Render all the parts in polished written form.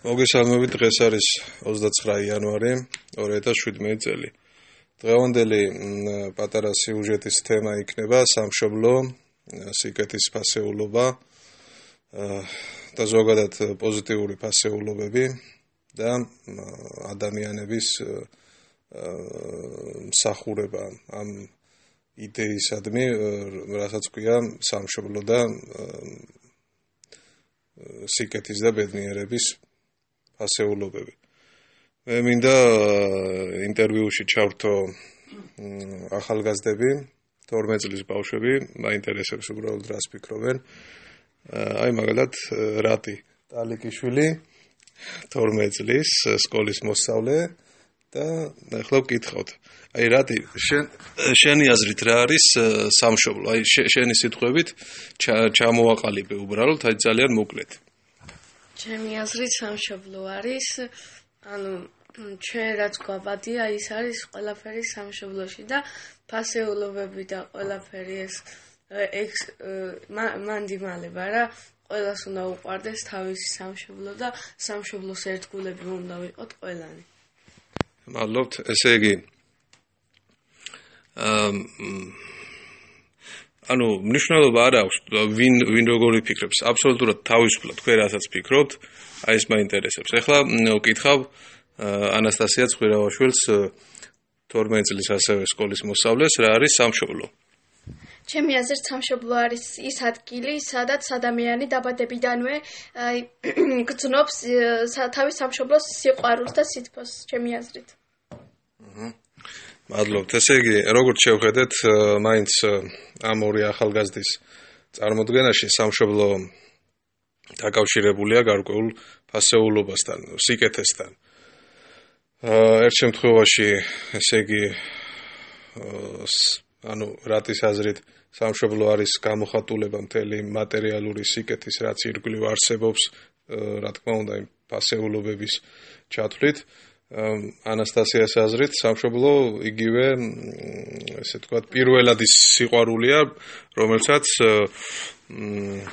მოგესალმებით, დღეს არის 29 იანვარი 2017 წელი. დღევანდელი პატარა სიუჟეტის თემა იქნება სამშობლო, სიკეთის ფასეულობა და ზოგადად პოზიტიური ფასეულობები და ადამიანების მსახურება ამ იდეისადმი, რასაც ქვია სამშობლო და სიკეთის და ბედნიერების ფასეულობები. მე მინდა ინტერვიუში ჩავრთო ახალგაზრდები, 12 წლის ბავშვები, მაინტერესებს უბრალოდ რას ფიქრობენ. აი მაგალითად რატი ტალიკიშვილი 12 წლის სკოლის მოსწავლე და ახლა ვკითხავთ. აი რატი შენი აზრით რა არის სამშობლო? აი შენი სიტყვებით ჩამოვაყალიბე უბრალოდ, აი ძალიან მოკლედ. ჩემი აზრით სამშობლო არის, ჩვენ რაც გვაბადია, ის არის ყველაფერი სამშობლოში და ფასეულობები და ყველაფერი ეს მანდიმალება რა, ყველას უნდა უყვარდეს თავისი სამშობლო და სამშობლოს ერთგულები უნდა ვიყოთ ყველანი. მადლობთ, ესე იგი მნიშვნელობა არ აქვს ვინ როგორი ფიქრობს, აბსოლუტურად თავისუფლად თქვენ რასაც ფიქრობთ, აი ეს მაინტერესებს. ეხლა ვკითხავ ანასტასია ცხვირავაშვილს 12 წლის ასევე სკოლის მოსწავლეს, რა არის სამშობლო? ჩემი აზრით სამშობლო არის ის ადგილი, სადაც ადამიანი დაბადებიდანვე გრძნობს თავის სამშობლოს სიყვარულს და სითბოს, ჩემი აზრით. მადლობთ. ესე იგი, როგორც შევხედეთ, მაინც ამ ორი ახალგაზრდის წარმოდგენაში სამშობლო დაკავშირებულია გარკვეულ ფასეულობასთან, სიკეთესთან. ერთ შემთხვევაში, ესე იგი, რატის აზრით სამშობლო არის გამოხატულება მთელი მატერიალური სიკეთის, რაც ირგვლივ არსებობს, რა თქმა უნდა, იმ ფასეულობების ჩათვლით. ანასტასიას აზრით სამშობლო იგივე, ესე ვთქვათ, პირველადი სიყვარულია, რომელსაც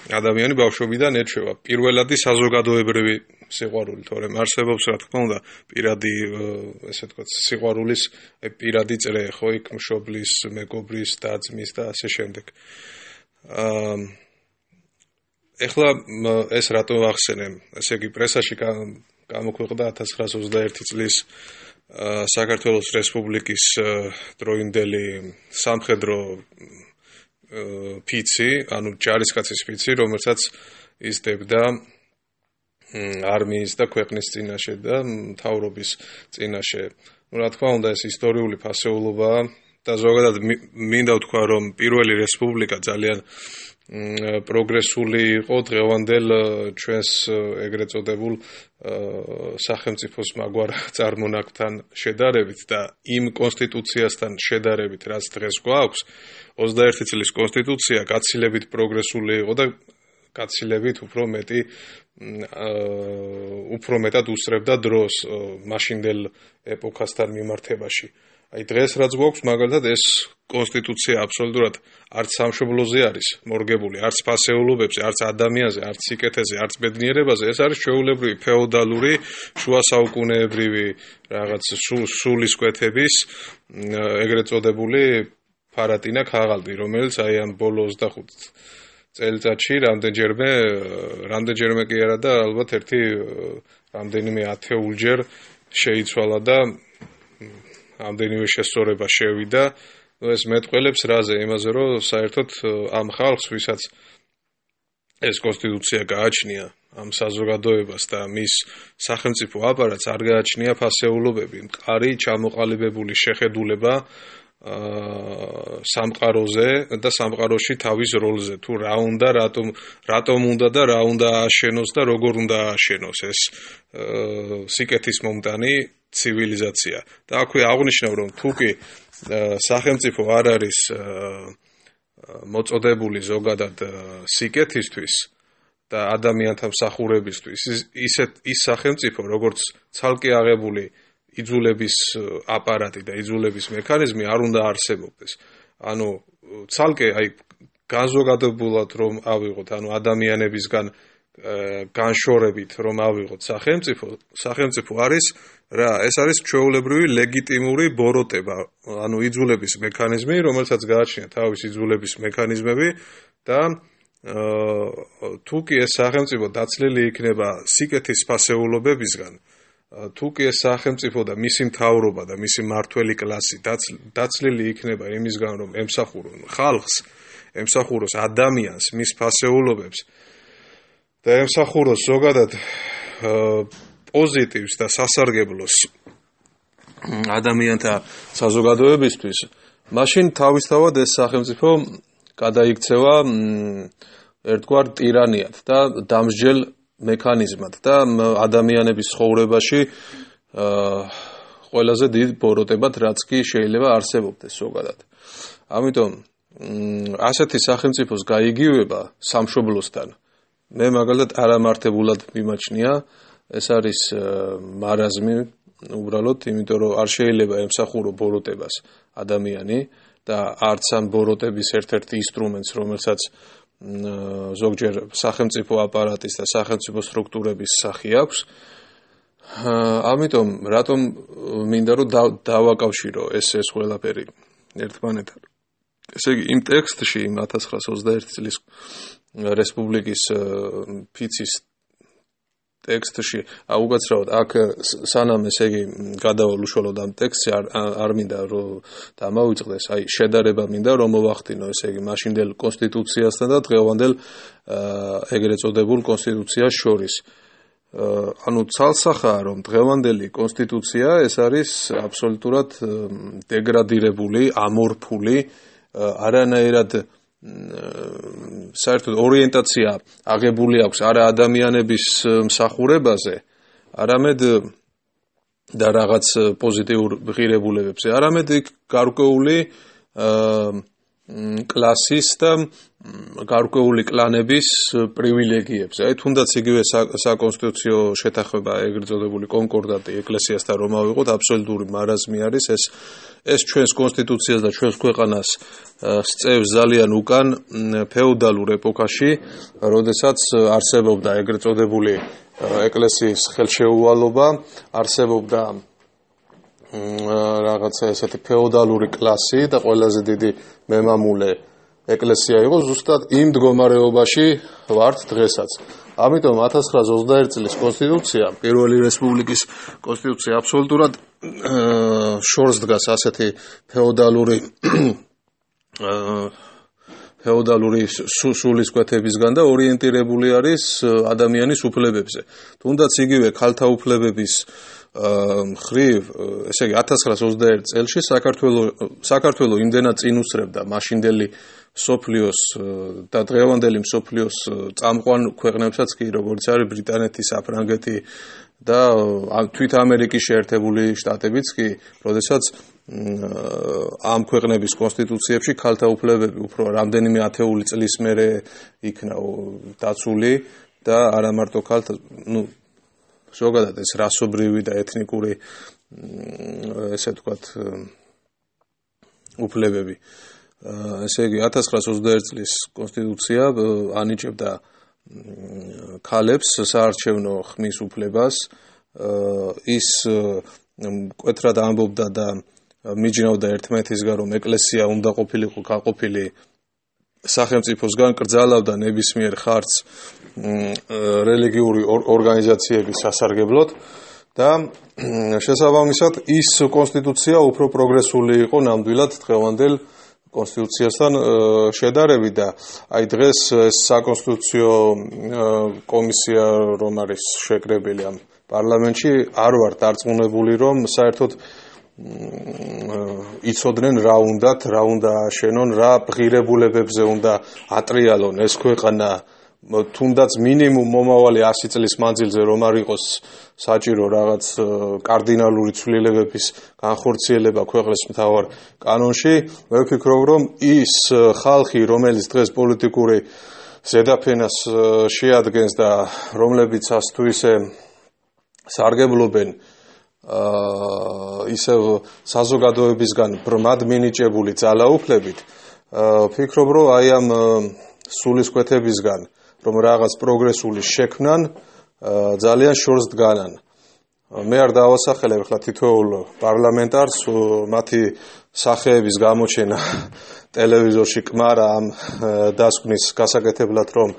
ადამიანი ბავშვობიდან ეჩვევა. პირველადი საზოგადოებრივი სიყვარული, თორემ არსებობს, რა თქმა უნდა, პირადი, ესე ვთქვათ, სიყვარულის პირადი წრე, ხო, იქ მშობლის, მეგობრის, და-ძმის და ასე შემდეგ. ეხლა ეს რატო ვახსენე? ესე იგი, პრესაში გამოქვეყნდა 1921 წლის საქართველოს რესპუბლიკის დროინდელი სამხედრო ფიცი, ჯარისკაცის ფიცი, რომელსაც იზრდებდა არმიის და ქვეყნის წინაშე და მთავრობის წინაშე. რა თქმა უნდა, ეს ისტორიული ფასეულობაა და ზოგადად მინდა ვთქვა, რომ პირველი რესპუბლიკა ძალიან პროგრესული იყო დღევანდელ ჩვენს ეგრეთ წოდებულ სახელმწიფოს მაგვარ წარმონაქმნთან შედარებით და იმ კონსტიტუციასთან შედარებით, რაც დღეს გვაქვს, 21 წლის კონსტიტუცია გაცილებით პროგრესული იყო და გაცილებით უფრო მეტად უსწრებდა დროს მაშინდელ ეპოქასთან მიმართებაში. აი დღეს რაც გვაქვს, მაგალითად ეს კონსტიტუცია აბსოლუტურად არც სამშობლოზე არის მორგებული, არც ფასეულობებზე, არც ადამიანზე, არც სიკეთეზე, არც ბედნიერებაზე, ეს არის ჩვეულებრივი ფეოდალური, შუა საუკუნეებრივი რაღაც სულისკვეთების ეგრეთ წოდებული ფარატინა ქაღალდი, რომელიც აი ამ ბოლო 25 წელიწადში რამდენჯერმე კი არა და ალბათ რამდენიმე ათეულჯერ შეიცვალა და ამდენივე შესწორება შევიდა. ეს მეტყველებს რაზე? იმაზე, რომ საერთოდ ამ ხალხს, ვისაც ეს კონსტიტუცია გააჩნია, ამ საზოგადოებას და მის სახელმწიფო აპარატს არ გააჩნია ფასეულობები, მყარი ჩამოყალიბებული შეხედულება სამყაროზე და სამყაროში თავის როლზე, თუ რა უნდა, რატომ უნდა და რა უნდა ააშენოს და როგორ უნდა ააშენოს ეს სიკეთის მომტანი ცივილიზაცია. და აქვე აღნიშნავ, რომ თუ კი სახელმწიფო არ არის მოწოდებული ზოგადად სიკეთისთვის და ადამიანთა მსახურებისთვის, ის სახელმწიფო, როგორც ცალკე აღებული იძულების აპარატი და იძულების მექანიზმი არ უნდა არსებობდეს. ცალკე განზოგადებულად რომ ავიღოთ, ადამიანებისგან განშორებით რომ ავიღოთ სახელმწიფო არის რა, ეს არის ჩვეულებრივი ლეგიტიმური ბოროტება, ანუ იძულების მექანიზმი, რომელსაც გააჩნია თავისი იძულების მექანიზმები და თუ კი ეს სახელმწიფო დაცლილი იქნება სიკეთის ფასეულობებისგან, თუ კი ეს სახელმწიფო და მისი მთავრობა და მისი მმართველი კლასი დაცლილი იქნება იმისგან, რომ ემსახურონ ხალხს, ემსახუროს ადამიანს, მის ფასეულობებს და ემსახუროს ზოგადად პოზიტივს და სასარგებლოს ადამიანთა საზოგადოებისთვის, მაშინ თავისთავად ეს სახელმწიფო გადაიქცევა ერთგვარ ტირანიად და დამსჯელ მექანიზმად და ადამიანების ცხოვრებაში ყველაზე დიდ ბოროტებად, რაც კი შეიძლება არსებობდეს ზოგადად. ამიტომ ასეთი სახელმწიფოს გაიგივება სამშობლოსთან მე მაგალითად არამართებულად მიმაჩნია, ეს არის მარაზმი უბრალოდ, იმიტომ რომ არ შეიძლება ემსახურო ბოროტებას ადამიანი და არც ამ ბოროტების ერთ-ერთი ინსტრუმენტს, რომელსაც ზოგჯერ სახელმწიფო აპარატის და სახელმწიფო სტრუქტურების სახი აქვს. ამიტომ რატომ მინდა რომ დავაკავშირო ეს ყველაფერი ერთმანეთთან. ესე იგი იმ ტექსტში, იმ 1921 წლის რესპუბლიკის ფიცის ტექსტში, უკაცრავად აქ სანამ ესე იგი გადავალ უშუალოდ ამ ტექსტში არ მინდა რომ დამავიწყდეს, აი შედარება მინდა რომ მოვახდინო ესე იგი მაშინდელ კონსტიტუციასთან და დღევანდელ ეგრეთ წოდებულ კონსტიტუციას შორის. ანუ ცალსახაა რომ დღევანდელი კონსტიტუცია ეს არის აბსოლუტურად დეგრადირებული, ამორფული, არანაირად საერთოდ ორიენტაცია აღებული აქვს არა ადამიანების მსახურებაზე, არამედ და რაღაც პოზიტიურ ღირებულებებზე, არამედ გარკვეული კლასის და გარკვეული კლანების პრივილეგიებზე. აი თუნდაც იგივე საკონსტიტუციო შეთანხმება, ეგრეთ წოდებული კონკორდატი ეკლესიასთან რომ ავიღოთ, აბსოლუტური მარაზმი არის ეს ჩვენს კონსტიტუციას და ჩვენს ქვეყანას სწევს ძალიან უკან ფეოდალურ ეპოქაში, როდესაც არსებობდა ეგრეთ წოდებული ეკლესიის ხელშეუვალობა, არსებობდა რაღაცა ესეთი ფეოდალური კლასი და ყველაზე დიდი მემამულე ეკლესია იყო, ზუსტად იმ მდგომარეობაში ვართ დღესაც. ამიტომ 1921 წლის კონსტიტუცია, პირველი რესპუბლიკის კონსტიტუცია აბსოლუტურად შორს დგას ასეთი ფეოდალური სულისკვეთებისგან და ორიენტირებული არის ადამიანის უფლებებზე. თუნდაც იგივე ქალთა უფლებების ხრივ, ესე იგი 1921 წელში საქართველო იმდენად წინ უსწრებდა მაშინდელი მსოფლიოს და დღევანდელი მსოფლიოს წამყვან ქვეყნებსაც კი, როგორც არის ბრიტანეთი, საფრანგეთი და თვით ამერიკის შეერთებული შტატებიც კი, როდესაც ამ ქვეყნების კონსტიტუციებში ქალთა უფლებები უფრო რამდენიმე ათეული წლის მერე იქნა დაცული და არა მარტო ქალთა, ზოგადად ეს რასობრივი და ეთნიკური ესე ვთქვათ უფლებები. ესე იგი 1921 წლის კონსტიტუცია ანიჭებდა ქალებს საარჩევნო ხმის უფლებას, ის მკვეთრად ამბობდა და მიჯნავდა ერთმანეთისგან, რომ ეკლესია უნდა ყოფილიყო გაყოფილი სახელმწიფოსგან, კრძალავდა ნებისმიერ ხარჯს რელიგიური ორგანიზაციების სასარგებლოდ და შესაბამისად ის კონსტიტუცია უფრო პროგრესული იყო ნამდვილად დღევანდელ კონსტიტუციასთან შედარებით და აი დღეს ეს საკონსტიტუციო კომისია რომ არის შეკრებილი ამ პარლამენტში არ ვარ დარწმუნებული რომ საერთოდ იცოდნენ რა უნდა აშენონ, რა ღირებულებებზე უნდა ატრიალონ ეს ქვეყანა, თუნდაც მინიმუმ მომავალი 100 წლის მანძილზე რომ არ იყოს საჭირო რაღაც კარდინალური ცვლილებების განხორციელება ქვეყნის მთავარ კანონში. მე ვფიქრობ, რომ ის ხალხი, რომელიც დღეს პოლიტიკური ზედაფენას შეადგენს და რომლებიც თუ ისე სარგებლობენ ისევ საზოგადოებისგან ბრმად მინიჭებული ძალაუფლებით, ვფიქრობ, რომ აი ამ სულისკვეთებისგან რომ რაღაც პროგრესული შექმნან, ძალიან შორს დგანან. მე არ დავასახელებ ახლა თითოეულ პარლამენტარს მათი სახეების გამოჩენა ტელევიზორში კმარა ამ დასკვნის გასაკეთებლად, რომ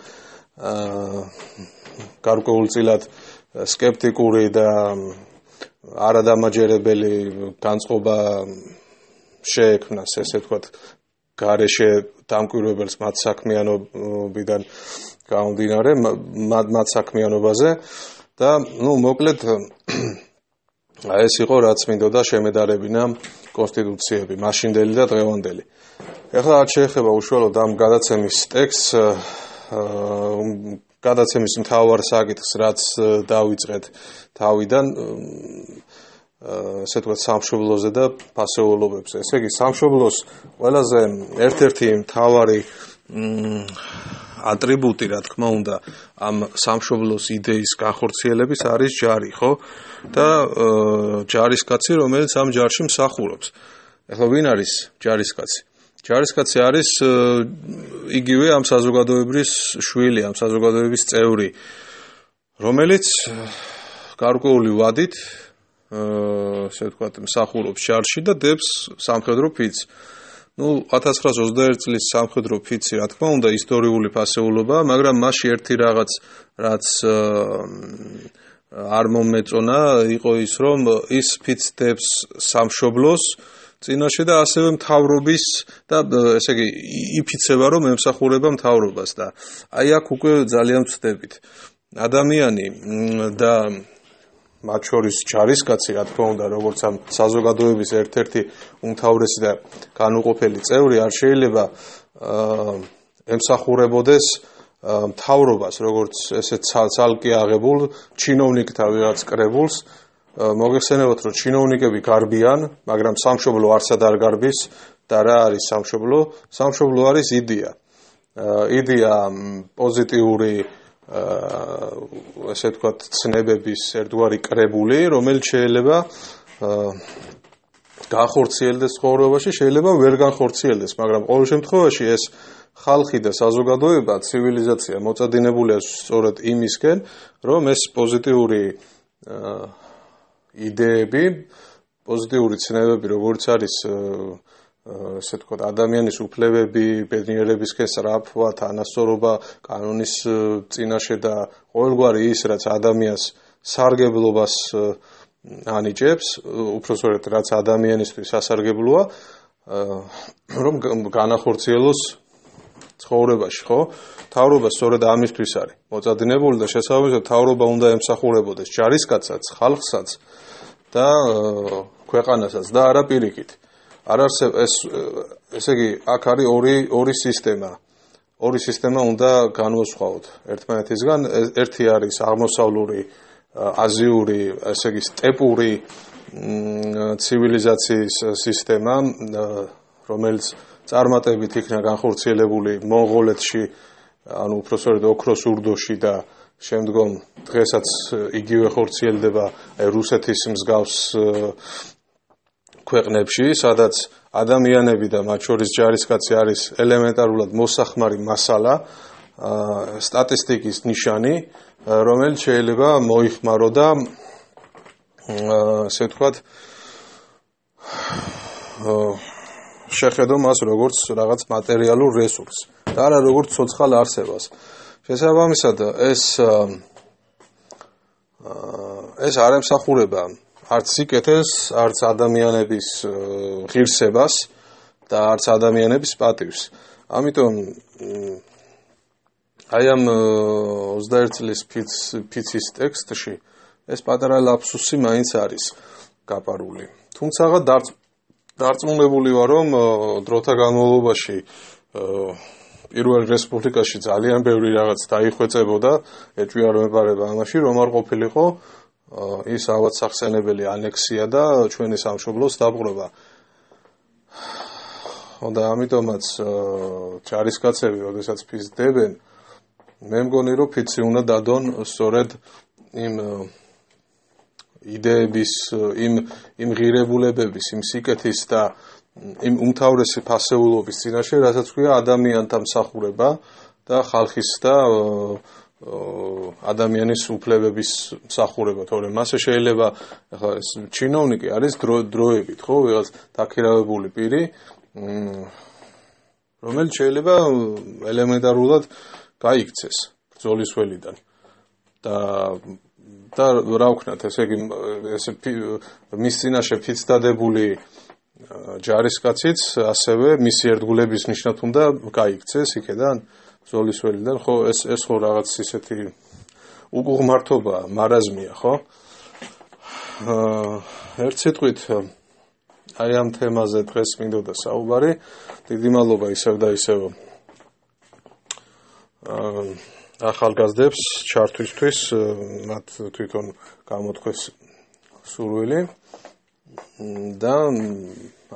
გარკვეულწილად სკეპტიკური და არადამაჯერებელი განწყობა შეექმნას, ესე ვთქვათ, გარეშე დამკვირვებელს მათ საქმიანობიდან გამომდინარე, მათ საქმიანობაზე და მოკლედ ეს იყო რაც მინდოდა შემედარებინა კონსტიტუციები, მაშინდელი და დღევანდელი. ეხლა არ შეეხება უშუალოდ ამ გადაცემის ტექსტს, გადაცემის მთავარ საკითხს, რაც დავიწყეთ თავიდან, ესე ვთქვათ, სამშობლოზე და ფასეულობებზე. ესე იგი, სამშობლოს ყველაზე ერთ-ერთი მთავარი ატრიბუტი, რა თქმა უნდა, ამ სამშობლოს იდეის განხორციელების არის ჯარი, ხო? და ჯარისკაცი, რომელიც ამ ჯარში მსახურობს. ეხლა ვინ არის ჯარისკაცი? ჯარისკაცი არის იგივე ამ საზოგადოების შვილი, ამ საზოგადოების წევრი, რომელიც გარკვეული ვადით, ესე ვთქვათ, მსახურობს ჯარში და დებს სამხედრო ფიცს. 1921 წლის სამხედრო ფიცი, რა თქმა უნდა, ისტორიული ფასეულობაა, მაგრამ მასში ერთი რაღაც, რაც არ მომეწონა, იყო ის, რომ ის ფიცს დებს სამშობლოს წინაშე და ასევე მთავრობის და ესე იგი იფიცება, რომ ემსახურება მთავრობას და აი აქ უკვე ძალიან ვწდებით. ადამიანი და მათ შორის ჯარისკაცი, რა თქმა უნდა, როგორც ამ საზოგადოების ერთ-ერთი უმთავრესი და განუყოფელი წევრი, არ შეიძლება ემსახურებოდეს მთავრობას, როგორც ესე ცალკე აღებულ ჩინოვნიკთა ვიღაც კრებულს. მოგეხსენებათ, რომ ჩინოვნიკები გარბიან, მაგრამ სამშობლო არსად არ გარბის და რა არის სამშობლო? სამშობლო არის იდეა. იდეა პოზიტიური ესე ვთქვათ, ცნებების ერთგვარი კრებული, რომელიც შეიძლება განხორციელდეს ცხოვრებაში, შეიძლება ვერ განხორციელდეს, მაგრამ ყოველ შემთხვევაში ეს ხალხი და საზოგადოება, ცივილიზაცია მოწადინებულია სწორედ იმისკენ, რომ ეს პოზიტიური იდეები, პოზიტიური ცნებები, როგორც არის ესე ვთქვათ, ადამიანის უფლებები, ბედნიერებისკენ სწრაფვა, თანასწორობა, კანონის წინაშე და ყოველგვარი ის, რაც ადამიანს სარგებლობას ანიჭებს, უпроსწორად, რაც ადამიანისთვის სასარგებლოა, რომ განახორციელოს ცხოვრებაში, ხო? მთავრობა სწორედ ამისთვის არის მოწადინებული და შესაბამისად მთავრობა უნდა ემსახურებოდეს ჯარისკაცსაც, ხალხსაც და ქვეყანასაც და არა პირიქით. არ არსებობს ესე იგი, აქ არის ორი სისტემა. ორი სისტემა უნდა განვასხვაოთ ერთმანეთისგან. ერთი არის აღმოსავლური, აზიური, ესე იგი, სტეპური ცივილიზაციის სისტემა, რომელიც წარმატებით იქნა განხორციელებული მონღოლეთში, ანუ უпроსწორად ოქროს ურდოში და შემდგომ დღესაც იგივე ხორციელდება რუსეთის მსგავს ქვეყნებში, სადაც ადამიანები და მათ შორის ჯარისკაცი არის ელემენტარულად მოსახმარი მასალა, სტატისტიკის ნიშანი, რომელიც შეიძლება მოიხმარო და ასე ვთქვათ, შეხედო მას როგორც რაღაც მატერიალურ რესურსს და არა როგორც ცოცხალ არსებას. შესაბამისად, ეს არ ემსახურება არც სიკეთეს, არც ადამიანების ღირსებას და არც ადამიანების პატივს. ამიტომ აი ამ 21 წლის ფიცის ტექსტში ეს პატარა ლაფსუსი მაინც არის გაპარული. თუმცა დარწმუნებული ვარ, რომ დროთა განმავლობაში პირველ რესპუბლიკაში ძალიან ბევრი რაღაც დაიხვეწებოდა, ეჭვი არ მეპარება ამაში, რომ არ ყოფილიყო ის ავად სახსენებელი ანექსია და ჩვენი სამშობლოს დაპყრობა. და ამიტომაც ჯარისკაცები, როდესაც ფიცს დებენ, მე მგონი, რომ ფიცი უნდა დადონ სწორედ იმ იდეების, იმ ღირებულებების, იმ სიკეთის და იმ უმთავრესი ფასეულობის წინაშე, რასაც ქვია ადამიანთა მსახურება და ხალხის და ადამიანის უფლებების მსახურება, თორემ მასე შეიძლება ახლა ეს ჩინოვნიკი არის დროებით, ხო, ვიღაც დაქირავებული პირი, რომელიც შეიძლება ელემენტარულად გაიქცეს ბრძოლის ველიდან და რა ვქნათ, ესე იგი მის წინაშე ფიცდადებული ჯარისკაციც ასევე მისი ერთგულების ნიშნად უნდა გაიქცეს იქედან ბრძოლის ველიდან, ხო, ეს ხო რაღაც ისეთი უღმართობა, მარაზმია, ხო? ერთ სიტყვით აი ამ თემაზე დღეს მინდოდა საუბარი. დიდი მადლობა ისევ და ისევ ახალგაზრდებს ჩართვისთვის, მათ თვითონ გამოთქვეს სურვილი და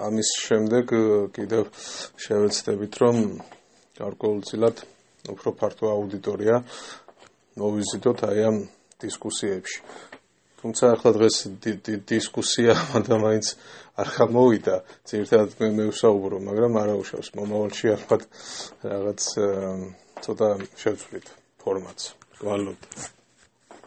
ამის შემდეგ კიდევ შევეცდებით, რომ გარკვეულწილად უფრო ფართო აუდიტორია მოვიზიდოთ აი ამ დისკუსიებში. თუმცა ახლა დღეს დისკუსია მაინც არ გამოვიდა, ძირითადად მე ვსაუბრო, მაგრამ არა უშავს მომავალში ალბათ რაღაც ცოტა შევცვლით ფორმატს. გვალობთ.